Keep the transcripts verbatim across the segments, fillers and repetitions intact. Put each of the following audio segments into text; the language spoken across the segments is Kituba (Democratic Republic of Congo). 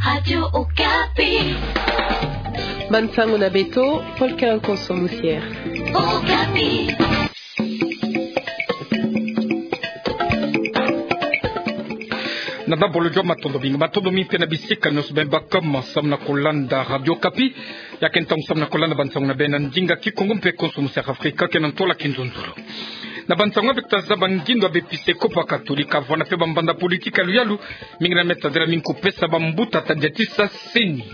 Radio Okapi. Bansango na beto, Paul Kalanko sur Lucière. Okapi. Na dabolo, matondo mingi, matondo mingi mpe na bisika nyonso beno baka samu na kolanda Radio Okapi. Ya ke ntangu samu na kolanda bansango na beno na ndinga Kikongo mpe konso musi ya Afrika, ke na ntwala kinzonzolo. Na bansango ya beto tazaba ngindo ya bepisekopo ya Katolika, vwanda mpe bambanda politiki ya luyalu, mingi na meta dela mingi kupesa bambuta tadiatisa seni.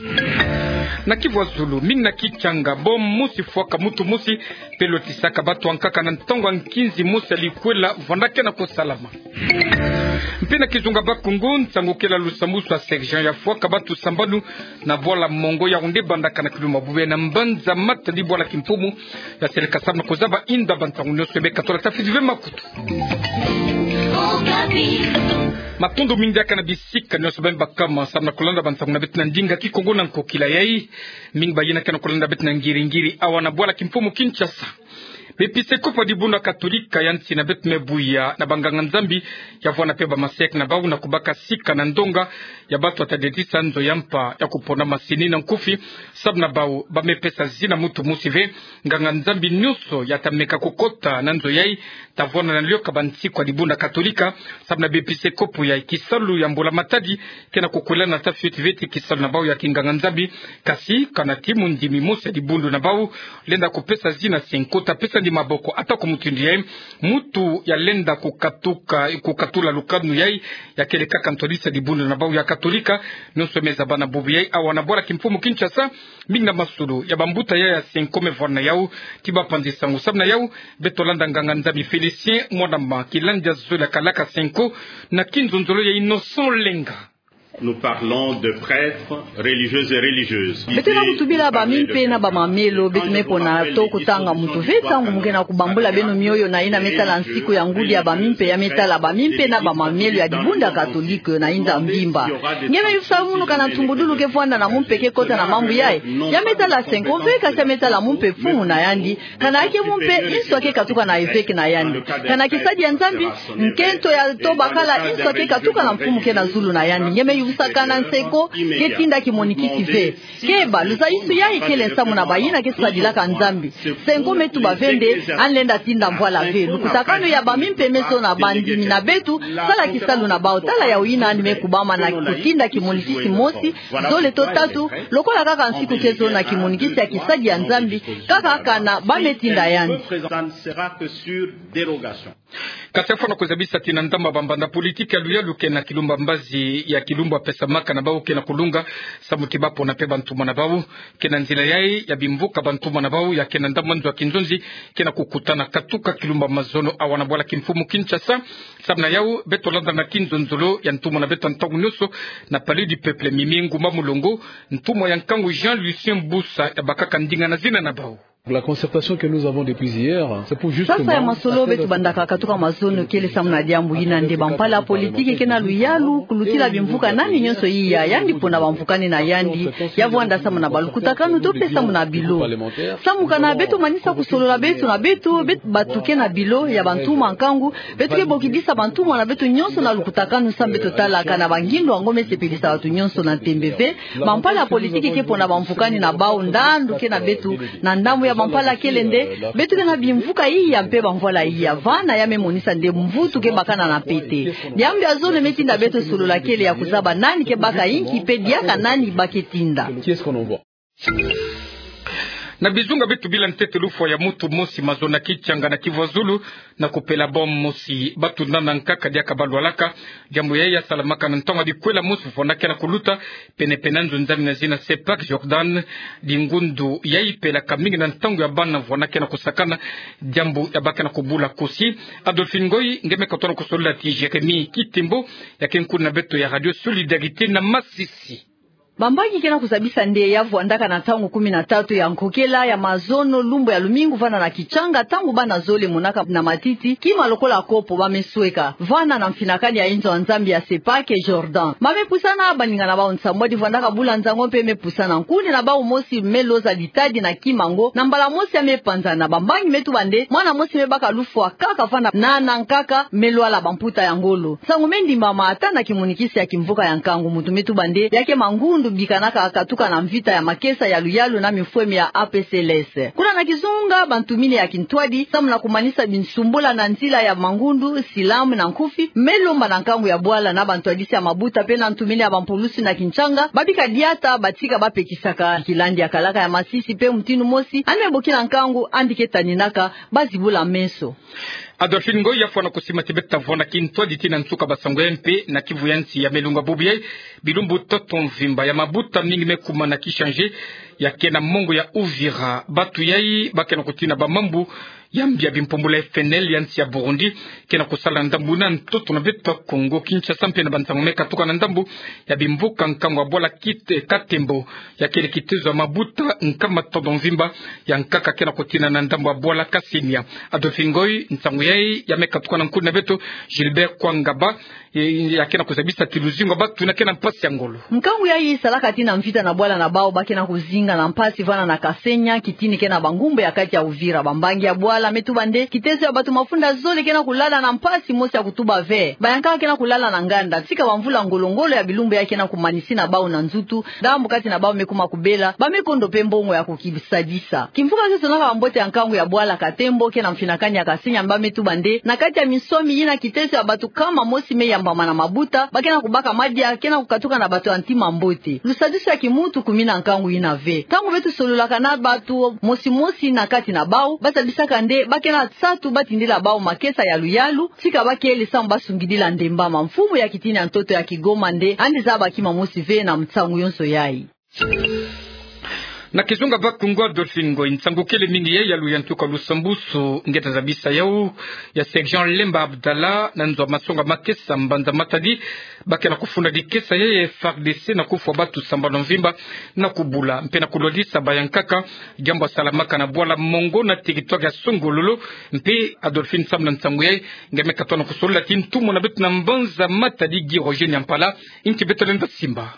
Na Kivu ya Zulu, mingi na Kichanga, bombe mosi fwaka muntu mosi, mpe lotisaka bato ya nkaka na ntangu ya nkinzi mosi ya likwela vwanda ke na kosalama. Mpe na kizunga Bakongo, nsangu kele ya lusambusu ya sergent ya fwaka bato sambanu na bwala Mongo Yaoundé, bandaka na kilumbu ya bubwe na mbanza matadi bwala kimfumu ya seleka samu na kozaba inda bansango nyonso ya beno katola. Tafiti ve makutu. Matondo mingi diaka na bisika nyonso beno baka samu na kolanda bansango na beto na ndinga Kikongo na nkokila yai. Mingi bayina ke na kolanda beto na ngiri-ngiri awa na bwala kimfumu Kinshasa. Bepisekopo ya dibundu ya Katolika ya nsi na beto me buya na banganga-Nzambi ya vwanda mpe bamaseke na bau na kubaka sika na ndonga ya bato ya tadiatisa nzo ya mpa ya kupona masini na nkufi, samu na bau ba me pesa zina muntu mosi ve. Nganga-Nzambi nyonso ya ta meka kukota na nzo yai ta vwanda na lioka bansiku ya dibundu ya Katolika, samu na bepisekopo yai kisalu ya mbula matadi ke na kukwelana, tafiti ve ti kisalu na bau ya kinganga-Nzambi. Kasi kana ti mondimi mosi ya dibundu na bau lenda kupesa zina senko, ta pesa ndi maboko ata ko mutindu yai. Muntu ya lenda kukatuka, kukatula lukanu yai, ya kele kaka ntwadisi ya dibundu na bau ya Katolika. Nyonso me zaba na bubu yai awa na bwala kimfumu Kinshasa. Mingi na masolo ya bambuta yai ya senko me vwanda na yau. Ti bapanzi sango samu na yau, beto landa nganga-Nzambi Félicien Mwanama, kilandi ya zole ya kalaka senko na kinzonzolo ya Innocent Lenga. Nous parlons de prêtres, religieuses et religieuses. Beto ke na kutubila bamimpe na bamamelo, beto me pona to kutanga muntu ve ntangu mu ke na kubambula beno mioyo na yina me tala nsiku ya ngudi ya bamimpe, ya me tala bamimpe na bamamelo ya dibundu ya Katolika na inza mvimba. Nge me yufisa munu kana ntumbudulu ke vwanda na mumpe ke kota na mambu yai. Ya me tala senko ve, kasi ya me tala mumpe mfumu na yandi. Kana ya ke mumpe, inso ya ke katuka na eveke na yandi. Kana kisadi ya Nzambi, nkento ya to bakala, inso ya ke katuka na mfumu ke na zulu na yandi. Nge me yufisa kana nsenko ke tinda kimonikisi ve. Keba, luzayiswani yai kele nsamu na bayina ke sadilaka Nzambi. Nsenko me tuba ve nde, yandi lenda tinda mvwala ve. Lukutakanu ya bamimpe me zona bandimi na beto, sala kisalu na bau, tala yawu yina yandi me kubama na kutinda kimonikisi mosi, zole to tatu, lokola kaka nsiku ke zona kimonikisi ya kisadi ya Nzambi, kaka kana ba me tinda yandi. Ça ne sera que sur dérogation. Kasi fwana kuzabisa ti na ndambu ya bambanda politiki ya luyalu ke na kilumbu ya mbazi ya kilumbu ya pesamaka na bau ke na kulunga, samu ti ba pona mpe bantumwa na bau. Ke na nzila yai ya bimvuka bantumwa na bau ya ke na ndambu ya nzo ya kinzonzi ke na kukutana katuka kilumbu ya mazono awa na bwala kimfumu Kinshasa. Samu na yau, beto landa na kinzonzolo ya ntumwa na beto ya ntangu nyonso na Palais du Peuple, Mimi Ngumba Mulongo, ntumwa ya nkangu Jean Lucien Busa ya bakaka ndinga na zina na bau. La concertation que nous avons depuis hier, c'est pour justement... Sasa ya masolo beto bandaka katuka mazono kele samu na diambu yina nde, bampala politiki ke na luyalu kulutila bimvuka nani nyonso iya, yandi pona bamvukani na yandi, ya vwanda samu na balukutakanu to mpe samu na bilo. Samu kana beto manisa kusolola beto na beto, beto bato ke na bilo ya bantumwa nkangu, beto ke bokidisa bantumwa na beto nyonso na lukutakanu samu beto tala kana bangindo yango me sepelisa bato nyonso na ntembe ve. Bampala politiki ke pona bamvukani na bau, ndandu ke na beto na ndambu ya bampala kele nde, beto ke na bimvuka iya mpe bamvwala iya. Vana ya me monisa nde mvutu ke bakana na pete. Diambu ya zono me tinda beto solola kele ya kuzaba nani ke baka inki mpe diaka nani ba ke tinda. Qui est-ce qu'on envoie ? Na bizunga beto bila, ntete lufwa ya muntu mosi mazono na Kichanga na Kivu ya Zulu, na kupela bombe mosi, bato nana nkaka diaka balwalaka. Diambu yai ya salamaka na ntangu ya bikwela mosi fwana ke na kuluta pene-pene na nzo nzambi na zina Sepak Jordan. Dingundu yai pelaka mingi na ntangu ya bana fwana ke na kusakana, diambu ya ba ke na kubula kosi. Adolphine Ngoy nge me katono kusolola ti Jérémie Kitembo, ya ke nkuna na beto ya Radio Solidarité na Masisi. Bambangi ke na kuzabisa nde ya vwandaka na ntangu kumi na tatu ya nkokela ya mazono, lumbu ya lumingu, vana na Kichanga, ntangu bana zole monaka na matiti kima lokola kopo ba me sweka vana na mfinakani ya inzo ya Nzambi ya Sepake Jordan. Ba me pusana baninga na bau nsambwadi vwandaka bula nzango mpe me pusana. Nkuni na bau mosi me loza litadi na kima ngo, na mbala mosi ya me panzana. Bambangi me tuba nde mwana mosi me baka lufwa kaka vana na, na nkaka me lwala bamputa ya ngolo. Nsangu me ndimbama ata na kimunikisi ya kimvuka ya nkangu, muntu me tuba nde ya ke Mangundu, bikanaka katuka na mvita ya makesa ya luyalu na mifwemi ya A P C L S. Kuna na Kizunga, bantu mine ya kintwadi, samu na kumanisa binsumbula na nzila ya Mangundu, Silam na Nkufi, me lomba na nkangu ya bwala na bantwadisi ya mabuta mpe na ntu mine ya bampulusi na Kinchanga, ba bika diata, batika ba pekisaka kilandi ya kalaka ya masisi mpe mutindu mosi, yandi me bokila nkangu, yandi ke taninaka, ba zibula meso. Adolphine Ngoy, ya fwana kusima ti beta vwanda kintwadi tii na nsuka ba sango ya mpe na kivu ya nsi ya melunga bubu yai, bilumbu ntoto mvimba ya mabuta mingi me kuma na Kisanje, ya ke na mongo ya Uvira. Batu yai ba ke na kutina bamambu ya mbi ya bimpumbulu ya F N L ya nsi ya Burundi, ke na kusala ndambu na ntoto na beto ya Kongo Kinshasa mpe na bansango me katuka na ndambu ya bimvuka nkangu ya bwala kit-, Katembo, ya kele kitezo ya mabuta nkama ntoto mvimba, ya nkaka ke na kutina na ndambu ya bwala Kasemia. Adolphine Ngoy, nsangu yai ya me katuka na nkuni na beto Gilbert Kwangaba, e, ya ke na kuzabisa ti luzingu ya batu yina ke na mpasi ya ngolo. Nkangu yai salaka tii na mvita na bwala na bau ba ke na kuzinga na mpasi vana na Kasemia, kitini ke na bangumbu ya kati ya Uvira. Bambangi ya bwala me tuba nde kitezo ya batu mafunda zole ke na kulala na mpasi mosi ya kutuba ve. Bayankaka ke na kulala na nganda, tika bamvula ngolo-ngolo ya bilumbu yai ke na kumanisina bau na nzutu, ndambu kati na bau me kuma kubela, ba me kondo mpe mbongo ya kukisadisa. Kimvuka kioso na bambote ya nkangu ya bwala Katembo ke na mfinakani ya Kasemia, ba me tuba nde na kati ya minswami yina kitezo ya batu nkama mosi me yambama na mabuta, ba ke na kubaka madia ke na kukatuka na bato ya ntima mbote. Lusadisu ya kimuntu kumi na nkangu yina ve. Ntangu beto sololaka na bato mosi-mosi na kati na bau, ba zabisaka nde ba ke na nsatu ba tindila bau makesa ya luyalu, tika ba kele samu ba sungidila ndemba. Mamfumu ya kitini ya ntoto ya Kigoma nde yandi zaba kima mosi ve na nsangu yonso yai. Na Kizunga Bakongo, Adolphine Ngoy, nsangu kele mingi yai ya luyantuka lusambusu nge ta zabisa yau, ya sergent Lemba Abdallah, na nzo ya masonga makesa Mbanza Matadi, ba ke na kufunda dikesa yai ya F A R D C na kufwa batu sambanu mvimba, na kubula mpe na kulwadisa bayankaka, diambu ya salamaka na bwala Mongo na territoire ya Songololo. Mpe Adolphine, samu na nsangu yai, nge me katuka na kusolola ti ntumwa na beto na Mbanza Matadi, Guy Roger Nyampala, nki beto lenda simba.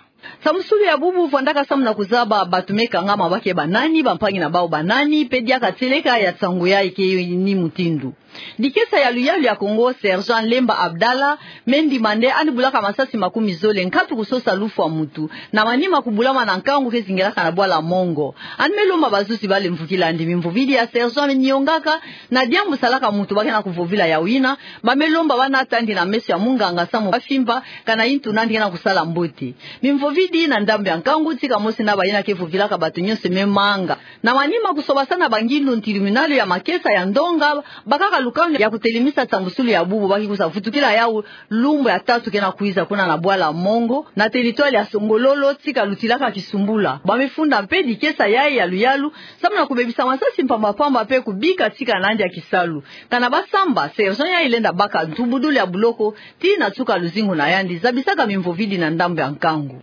Sambusulu ya bubu vwandaka samu na kuzaba batu me kangama ba ke banani, bampangi na bau banani, mpe diaka tieleka ya nsangu yai ke ni mutindu. Dikesa ya luyalu ya Kongo, sergent Lemba Abdallah, me ndima nde yandi bulaka masasi makumi zole nkatu kusosa lufwa muntu, na manima kubulama na nkangu ke zingilaka na bwala Mongo. Yandi me lomba bazuzi ba lemvukila yandi. Mimvovidi ya sergent me niongaka, na diambu salaka muntu ba ke na kuvovila yau yina, ba me lomba bana tandi na meso ya munganga samu ba fimba, kana intu nandi ke na kusala mbote. Mimvovidi na ndambu ya nkangu, tika mosi na bayina ke vovilaka bato nyonso me manga. Na manima kusobasana bangindu, tribunal ya makesa ya ndonga bakaka lukanu ya kutelemisa sambusulu ya bubu, ba ke kwiza vutukila yau lumbu ya tatu ke na kwiza kuna na bwala Mongo, na territoire ya Songololo, tika lutilaka kisumbula. Ba me funda mpe dikesa yai ya luyalu, samu na kubebisa masasi mpamba-mpamba mpe kubika tika nandi ya kisalu. Kana ba samba, sergent yai lenda baka ntubudulu ya buloko, tii na nsuka luzingu na yandi, zabisaka mimvovidi na ndambu ya nkangu.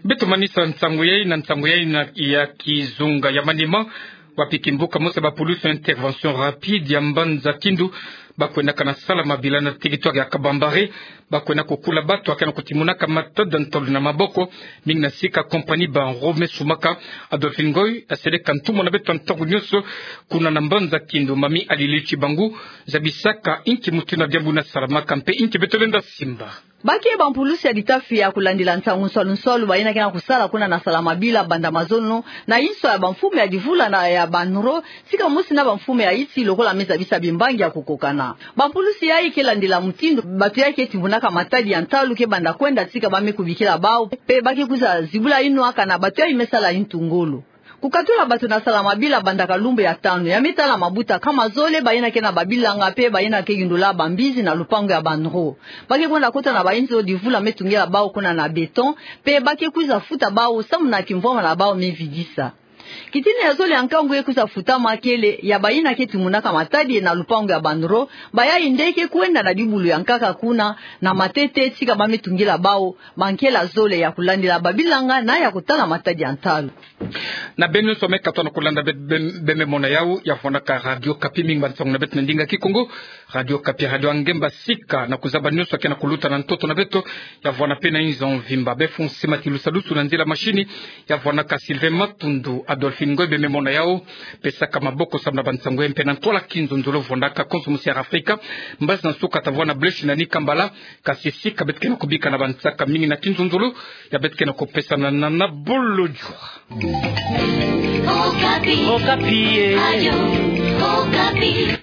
Beto manisa nsangu yai na nsangu yai na ya kizunga ya manima, wapi kimbuka mosi ba pulusi ya intervention rapide ya mbanza Kindu, ba kwendaka na sala mabila na territoire ya Kabambare, ba kwenda kukula bato ya ke na kutimunaka matada ntolo na maboko, mingi na sika compagnie Banro me sumaka. Adolphine Ngoy, aseleka ntumwa na beto ntangu nyonso, kuna na mbanza Kindu, Mami Alili Chibangu, zabisaka inki mutindu na diambu yina salamaka mpe inki beto lenda simba. Ba ke bampulusi ya litafi ya kulandila nsangu nswalu-nswalu, bayina ke na kusala kuna na sala mabila banda mazono, na inso ya bamfumu ya divula na ya Banro, tika mosi na bamfumu ya yisi lokola me zabisa bimbangi ya kukokana. Bampulusi yai ke landila mutindu bato yai ke timunaka matadi ya ntalu ke banda kwenda tika ba me kubikila bau, mpe ba ke kwiza zibula inwa kana bato yai me sala intu ngolo. Kukatula bato na sala mabila banda kalumbu ya tanu, ya me tala mabuta nkama zole, bayina ke na babilanga mpe bayina ke yundula bambizi na lupangu ya Banro. Ba ke kwenda kota na bainzo divula me tungila bau kuna na béton, mpe ba ke kwiza futa bau samu na kimvwama na bau me vidisa. Kitina ya zole ya nkangu ye kwiza futama kele ya bayina ke tumunaka matadi na lupangu ya banro, bayayi nde ke kwenda na bibulu ya nkaka kuna, na matete tika ba me tungila bawu bankela zole ya kulandila babilanga na ya kutala matadi ya ntalu. Na beno nyonso me katuka na kulanda be, be, be me mona yawu, ya vwandaka Radio Okapi. Mingi bansangu na beto na ndinga Kikongo. Radio Okapi, radio ya ngemba sika na kuzaba nyonso ke na kuluta na ntoto na beto. Ya vwanda mpe na inzo mvimba. Be funsima ti lusadusu na nzila mashini, ya vwandaka Sylvain Matundu. Adolphine Ngoy be me mona yawu, pesaka maboko samu na bansangu ya mpe na ntwala kinzonzolo vwandaka konso musi ya Afrika. Mbazi na nsuka ta vwanda Blaise na Nika Mbala. Kasi sika beto ke na kubika na bansaka mingi na kinzonzolo ya beto ke na kupesana na, na bolo jua. Okapi. Okapi, eh. Radio Okapi.